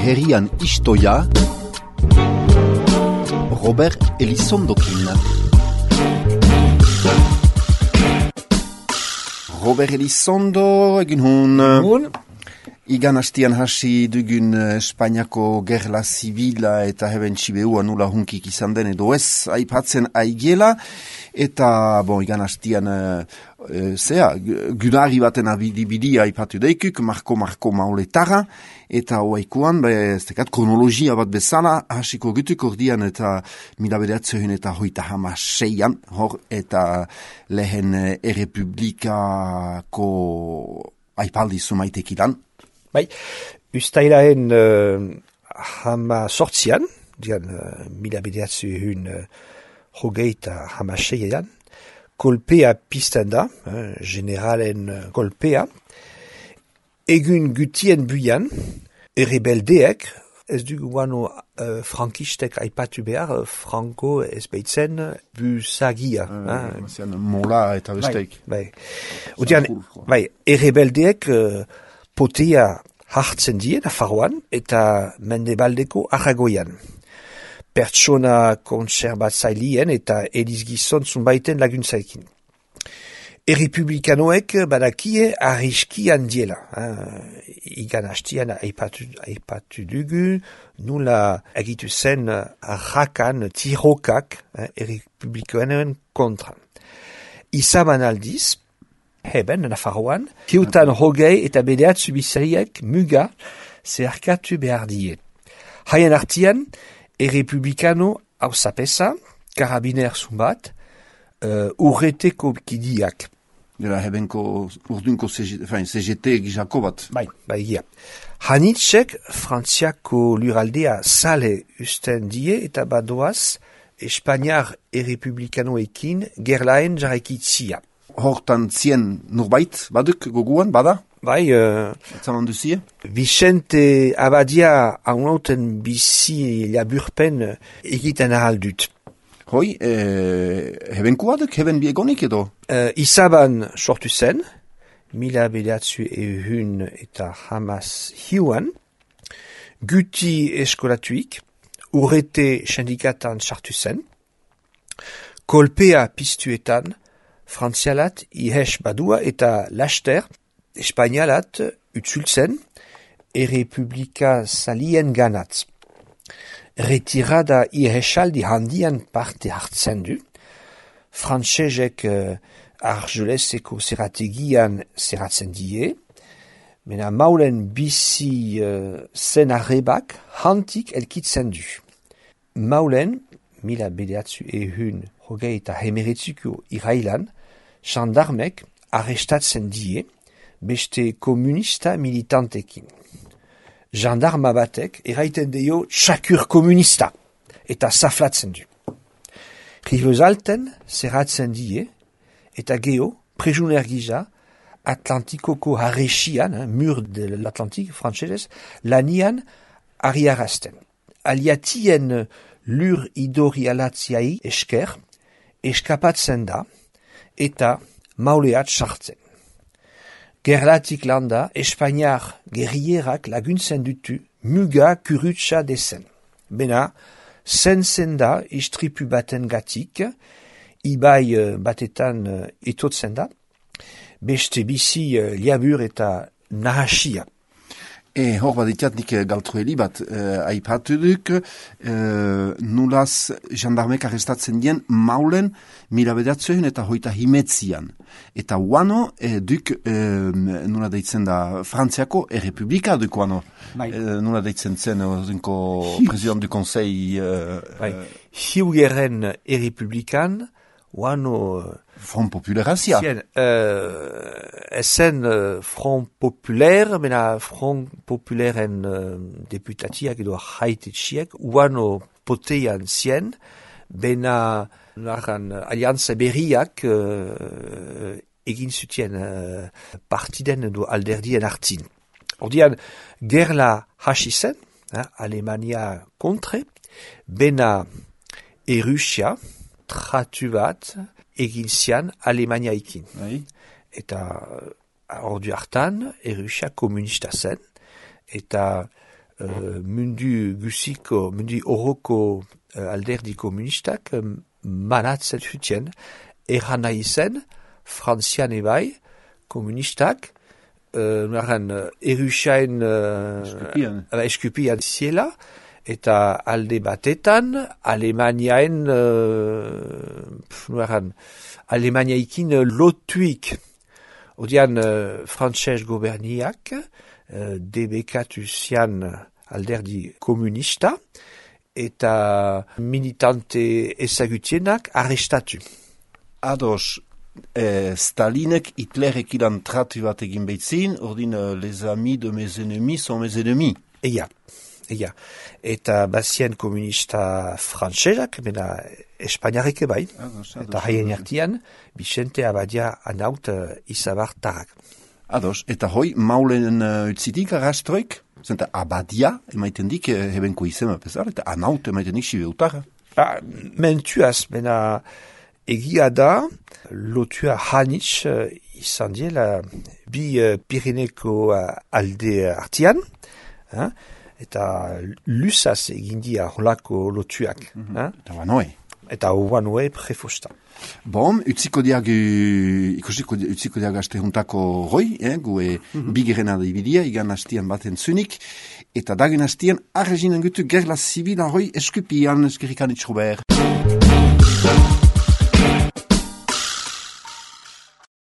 herrian istoia, Robert Elizondokin. Robert Elizondo, egin hun. Igan hastian hasi dugun Espainiako gerla zibila eta heben txibehua nula hunkik izan den edo ez aipatzen aigiela. Eta, igan hastian, gunari baten abidibidi aipatu daikuk, marko mauletara. Eta oaikuan, kronologia bat bezala, hasiko gutuk ordian eta mila bederatzeun eta hoita hamaseian, hor eta lehen errepublikako aipaldi zumaitekidan. Bai, ustailaen sortzian, mila bederatzeun hogeita hamaseian, kolpea pizten da, generalen kolpea, egun gutien buian, errebeldeek, ez dugu guano frankistek aipatu behar, Franco ez beitzen busagia. Mola eta besteik. Bai. Errebeldeek potea hartzen die Nafarroan eta Mendebaldeko Aragoian. Pertsona kontserbatzailien eta elizgizon zunbaiten laguntzaikin. Errepublikanoek badakie arriski handiela. Igan hastian aipatu dugu, nula egitu zen arrakan, tirokak, errepublikanoen kontra. Izaban aldiz, heben Nafarroan, kiutan hogei eta bederatzu bizariek muga zeharkatu behar die. Haien artian, errepublikano hausapesa, karabiner zumbat, urreteko kidiak. Hebenko urdunko CGT gizako bat. Bai, gira. Hanitzek frantziako luraldea sale usten die eta badoaz Espainiar errepublikanoekin gerlaen jarraikitzia. Hortan zien norbait baduk goguan, bada? Bai, etzaman duzie? Vicente Abadia haunauten bizi laburpen egiten ahaldut. Hoi, hebenkoaduk, heben biegonik edo? Izaban sortu zen, mila bederatzu ehun eta hamas hiuan, guti eskolatuik, urrete sindikatan sartu zen, kolpea piztuetan, frantzialat ihes badua eta laster, espainialat utzultzen, errepublika zalien ganat. Retirada ihesaldi handian parte hartzen du, frantsesek argeleseko zerategian zeratzen die, mena maulen bizi zen arrebak hantik elkitzen du. Maulen, mila bederatzu ehun hogei eta hemeretzuko irailan, gendarmek arrestatzen die beste komunista militantekin. Gendarma batek eraiten dio txakur komunista eta zaflatzen du. Ribezalten zerratzen die eta geho prejuner gisa Atlantikoko harresian, mur de l'Atlantik frantsesez, lanian ariarazten. Aliatien lur idorialatziai esker, eskapatzen da eta mauleat sartzen. Gerlatik landa, Espainiar gerrierak laguntzen dutu muga kurutsa dezen. Bena, zen da istripu baten gatik, ibai batetan etotzen da, beste bizi liabur eta nahasia. Hor baditiat nik galtrueli bat aipatu duk, nulaz gendarmek arrestatzen dien maulen mila bederatzeun eta hoita himetzian. Eta uano duk nula deitzen da Frantziako errepublika duk uano. Nula deitzen zen president du konsei. Hiugeren errepublikan uano... Front Popularazia. Ezen Front Populaire, mena Front Populairen deputatiak edo haititxiek, uano potean zien, bena alianza berriak egin zutien partiden edo alderdien hartin. Ordian, gerla hasi zen, Alemania kontre, bena Errusia, tratu bat, egin zian Alemaniaikin. Eta ordu hartan, Errusia komunista zen, eta mundu horoko alderdi komunistak manatzen zuten, erran nahi zen, Frantzian ebai, komunistak, erusain eskupian ziela, eta alde batetan, Alemaniaikin lotuik. Odian frantses goberniak, debekatu zian alderdi komunista, eta militante ezagutienak arrestatu. Ados, Stalinek Hitlerek ilan tratu bat egin behitzin, ordin les amis de mes ennemis sont mes ennemis. Eia. Eta bazien komunista frantsesak, mena espainiarek ebai, eta haien artian, Vicente Abadia anaut izabartarak. Ados, eta hoi, maulen utzitik arrastroik, zenta Abadia, emaiten dik, hebenko izema pesar, eta anaut emaiten dik sibeutara. Mentuaz, mena egia da, lotua hanitz izan diela bi Pirineko alde artian, eta lusaz egin dia holako lotuak. Eta banoe. Eta banoe prefosta. Bon, utziko diag aste juntako roi, gue bigeren adibidia, igan hastian baten zunik, eta dagen hastian arreginan gutu gerla zibila roi eskupian eskerrikan itxrober.